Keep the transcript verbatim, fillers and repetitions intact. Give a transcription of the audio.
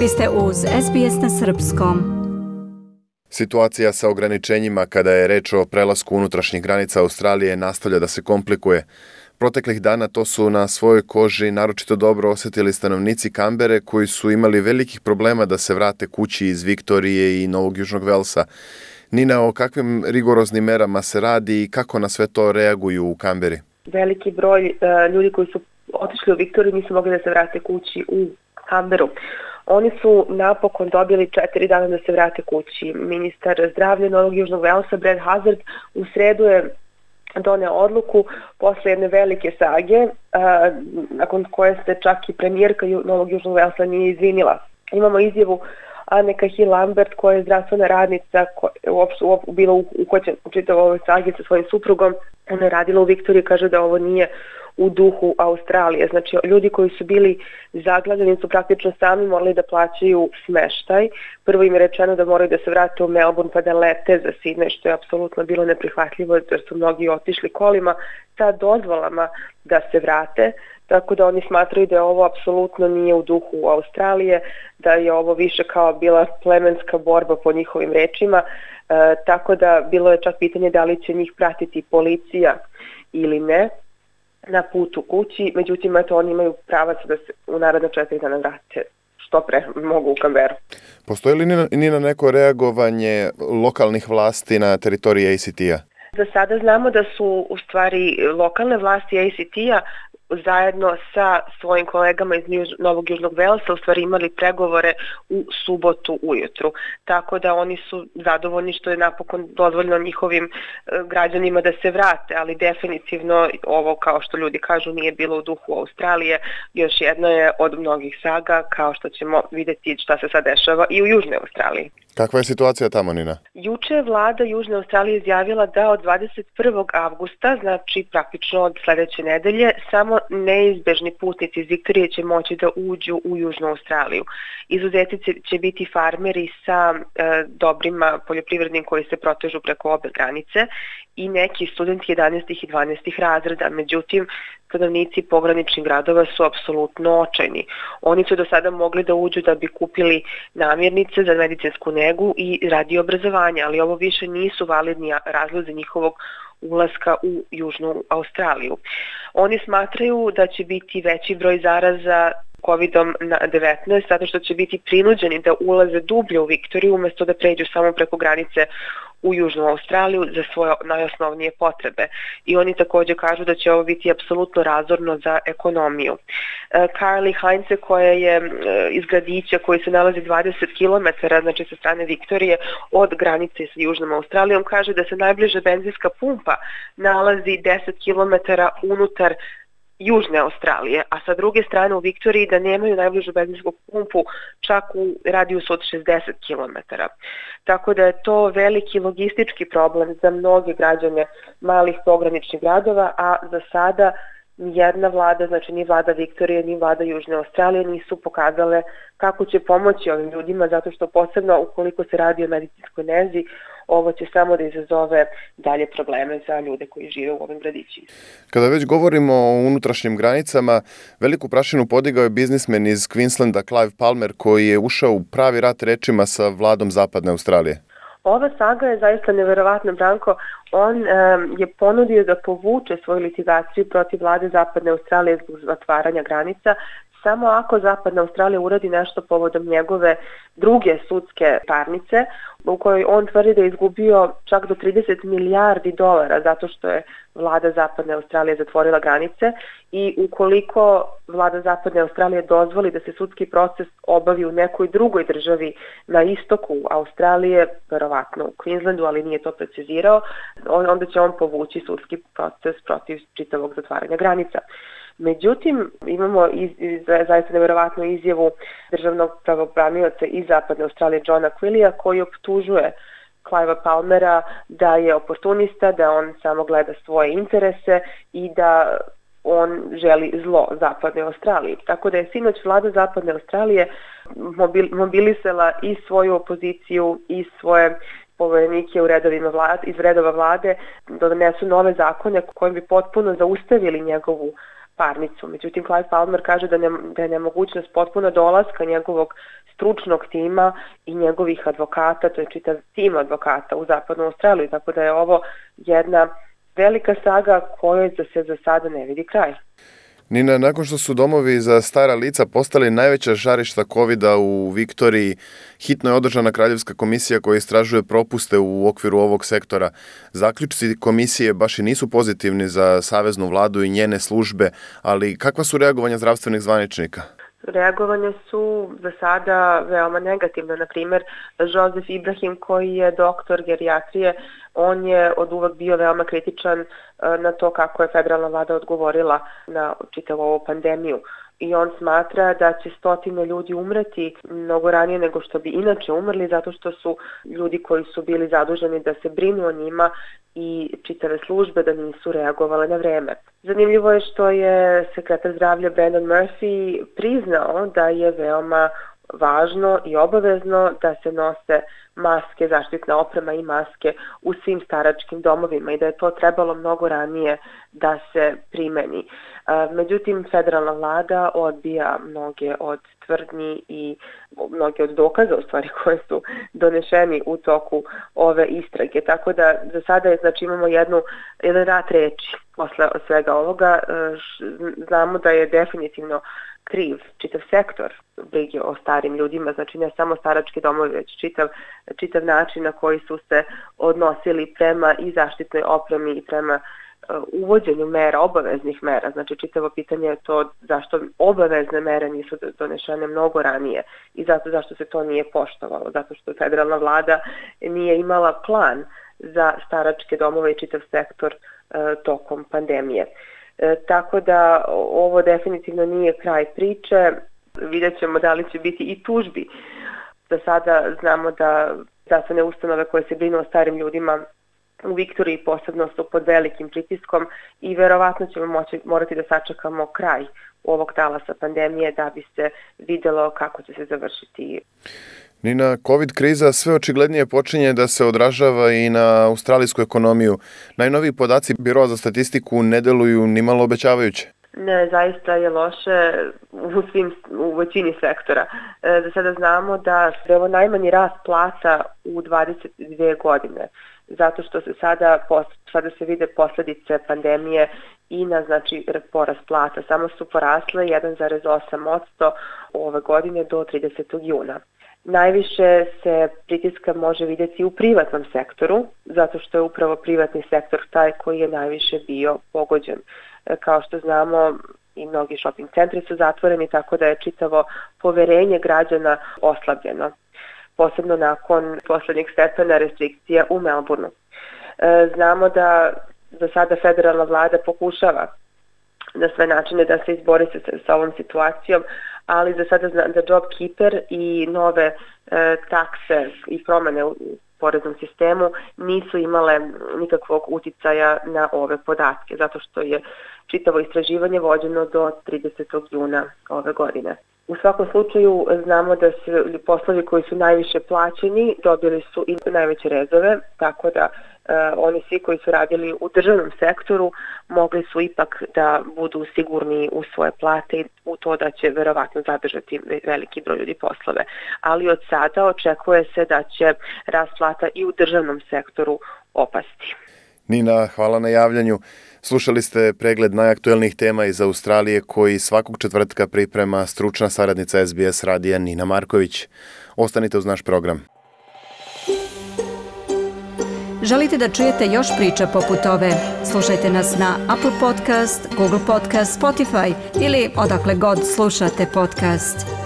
Vi ste uz S B S na srpskom. Situacija sa ograničenjima kada je reč o prelasku unutrašnjih granica Australije nastavlja da se komplikuje. Proteklih dana to su na svojoj koži naročito dobro osjetili stanovnici Kambere koji su imali velikih problema da se vrate kući iz Viktorije i Novog Južnog Velsa. Nina, o kakvim rigoroznim merama se radi i kako na sve to reaguju u Kamberi? Veliki broj uh, ljudi koji su otišli u Viktoriju nisu mogli da se vrate kući u Kamberu. Oni su napokon dobili četiri dana da se vrate kući. Ministar zdravlja Novog Južnog Velsa, Brad Hazzard, u sredu je doneo odluku posle jedne velike sage, a, nakon koje se čak i premijerka Novog Južnog Velsa nije izvinila. Imamo izjavu Anne Cahill-Lambert, koja je zdravstvena radnica, koja je uopšte, uopšte bila uhvaćena u čitavoj ovoj sagi sa svojim suprugom. Ona je radila u Viktoriji, kaže da ovo nije u duhu Australije. Znači, ljudi koji su bili zaglavljeni su praktično sami morali da plaćaju smeštaj. Prvo im je rečeno da moraju da se vrate u Melbourne pa da lete za Sydney, što je apsolutno bilo neprihvatljivo jer su mnogi otišli kolima sa dozvolama da se vrate. Tako da oni smatraju da ovo apsolutno nije u duhu Australije, da je ovo više kao bila plemenska borba po njihovim rečima. E, tako da bilo je čak pitanje da li će njih pratiti policija ili ne na putu kući, međutim eto, oni imaju pravac da se u naredna četiri dana vrate što pre mogu u Kamberu. Postoji li ni na neko reagovanje lokalnih vlasti na teritoriji A C T-a? Za sada znamo da su u stvari lokalne vlasti A C T-a zajedno sa svojim kolegama iz Novog Južnog Velsa u stvari imali pregovore u subotu ujutru. Tako da oni su zadovoljni što je napokon dozvoljeno njihovim građanima da se vrate, ali definitivno ovo, kao što ljudi kažu, nije bilo u duhu Australije. Još jedno je od mnogih saga, kao što ćemo vidjeti šta se sad dešava i u Južnoj Australiji. Kakva je situacija tamo, Nina? Juče je vlada Južne Australije izjavila da od dvadeset prvog avgusta, znači praktično od sledeće nedelje, samo neizbežni putnici iz Viktorije će moći da uđu u Južnu Australiju. Izuzeti će biti farmeri sa e, dobrima poljoprivrednim koji se protežu preko obe granice i neki studenti jedanaestih i dvanaestih razreda. Međutim, stanovnici pograničnih gradova su apsolutno očajni. Oni su do sada mogli da uđu da bi kupili namirnice za medicinsku negu i radi obrazovanja, ali ovo više nisu validni razlozi njihovog ulaska u Južnu Australiju. Oni smatraju da će biti veći broj zaraza kovid devetnaest zato što će biti prinuđeni da ulaze dublje u Viktoriju umjesto da pređu samo preko granice u Južnu Australiju za svoje najosnovnije potrebe. I oni također kažu da će ovo biti apsolutno razorno za ekonomiju. Carly Heinze, koja je iz gradića koji se nalazi dvadeset kilometara, znači sa strane Viktorije, od granice sa Južnom Australijom, kaže da se najbliža benzinska pumpa nalazi deset kilometara unutar Južne Australije, a sa druge strane u Viktoriji da nemaju najbližu benzinsku pumpu čak u radijusu od šezdeset kilometara. Tako da je to veliki logistički problem za mnoge građane malih pograničnih gradova, a za sada nijedna vlada, znači ni vlada Viktorije, ni vlada Južne Australije nisu pokazale kako će pomoći ovim ljudima, zato što posebno ukoliko se radi o medicinskoj nezi, ovo će samo da izazove dalje probleme za ljude koji žive u ovim gradićima. Kada već govorimo o unutrašnjim granicama, veliku prašinu podigao je biznismen iz Queenslanda Clive Palmer, koji je ušao u pravi rat rečima sa vladom Zapadne Australije. Ova saga je zaista neverovatna, Branko. On um, je ponudio da povuče svoju litigaciju protiv vlade Zapadne Australije zbog zatvaranja granica, samo ako Zapadna Australija uradi nešto povodom njegove druge sudske parnice, u kojoj on tvrdi da je izgubio čak do trideset milijardi dolara zato što je vlada Zapadne Australije zatvorila granice, i ukoliko vlada Zapadne Australije dozvoli da se sudski proces obavi u nekoj drugoj državi na istoku Australije, verovatno u Queenslandu, ali nije to precizirao, onda će on povući sudski proces protiv čitavog zatvaranja granica. Međutim, imamo iz, iz, zaista nevjerovatnu izjavu državnog pravobranioca iz Zapadne Australije Johna Quillija, koji optužuje Clivea Palmera da je oportunista, da on samo gleda svoje interese i da on želi zlo Zapadne Australije. Tako da je sinoć vlada Zapadne Australije mobil, mobilisala i svoju opoziciju i svoje poverenike u redovima vlade, iz redova vlade da donesu nove zakone kojim bi potpuno zaustavili njegovu parnicu. Međutim, Clive Palmer kaže da, ne, da je nemogućnost potpuno dolaska njegovog stručnog tima i njegovih advokata, to je čitav tim advokata u Zapadnu Australiju, tako da je ovo jedna velika saga kojoj se za sada ne vidi kraj. Nina, nakon što su domovi za stara lica postali najveća žarišta kovida u Viktoriji, hitno je održana Kraljevska komisija koja istražuje propuste u okviru ovog sektora. Zaključci komisije baš i nisu pozitivni za saveznu vladu i njene službe, ali kakva su reagovanja zdravstvenih zvaničnika? Reagovanja su za sada veoma negativna. Na primjer, Joseph Ibrahim, koji je doktor gerijatrije, on je od uvek bio veoma kritičan na to kako je federalna vlada odgovorila na čitavu ovu pandemiju. I on smatra da će stotine ljudi umreti mnogo ranije nego što bi inače umrli, zato što su ljudi koji su bili zaduženi da se brinu o njima i čitave službe da nisu reagovale na vreme. Zanimljivo je što je sekretar zdravlja Brandon Murphy priznao da je veoma važno i obavezno da se nose maske, zaštitna oprema i maske u svim staračkim domovima i da je to trebalo mnogo ranije da se primeni. Međutim, federalna vlada odbija mnoge od tvrdnji i mnoge od dokaza u stvari koje su donešeni u toku ove istrage. Tako da za sada je, znači, imamo jednu, jedan rat reči posle svega ovoga. Znamo da je definitivno kriv čitav sektor brige o starim ljudima, znači ne samo starački domovi, već čitav, čitav način na koji su se odnosili prema i zaštitnoj opremi i prema uh, uvođenju mera, obaveznih mera. Znači čitavo pitanje je to zašto obavezne mere nisu donešene mnogo ranije i zato zašto se to nije poštovalo, zato što federalna vlada nije imala plan za staračke domove i čitav sektor uh, tokom pandemije. E, tako da ovo definitivno nije kraj priče. Vidjet ćemo da li će biti i tužbi. Za sada znamo da zdravstvene ustanove koje se brinu o starim ljudima u Viktoriji posebno su pod velikim pritiskom i verovatno ćemo moći, morati da sačekamo kraj ovog talasa pandemije da bi se videlo kako će se završiti. Nina, COVID kriza sve očiglednije počinje da se odražava i na australijsku ekonomiju. Najnoviji podaci Biroa za statistiku ne deluju nimalo obećavajuće. Ne, zaista je loše u, svim, u većini sektora. E, za sada znamo da je ovo najmanji rast plata u dvadeset dve godine, zato što se sada, sada se vide posljedice pandemije i na, znači, porast plata. Samo su porasle jedan zarez osam posto ove godine do tridesetog juna. Najviše se pritiska može vidjeti u privatnom sektoru, zato što je upravo privatni sektor taj koji je najviše bio pogođen. Kao što znamo, i mnogi shopping centri su zatvoreni, tako da je čitavo poverenje građana oslabljeno, posebno nakon poslednjeg stepena restrikcija u Melbourneu. Znamo da za sada federalna vlada pokušava na sve načine da se izbori sa, sa ovom situacijom, ali za sada znam da JobKeeper i nove e, takse i promene u poreznom sistemu nisu imale nikakvog uticaja na ove podatke, zato što je čitavo istraživanje vođeno do tridesetog juna ove godine. U svakom slučaju znamo da su poslovi koji su najviše plaćeni dobili su i najveće rezove, tako da e, oni svi koji su radili u državnom sektoru mogli su ipak da budu sigurni u svoje plate i u to da će verovatno zadržati veliki broj ljudi poslove. Ali od sada očekuje se da će rast plata i u državnom sektoru opasti. Nina, hvala na javljanju. Slušali ste pregled najaktuelnijih tema iz Australije koji svakog četvrtka priprema stručna saradnica S B S radija Nina Marković. Ostanite uz naš program. Želite da čujete još priča poput ove? Slušajte nas na Apple Podcast, Google Podcast, Spotify ili odakle god slušate podcast.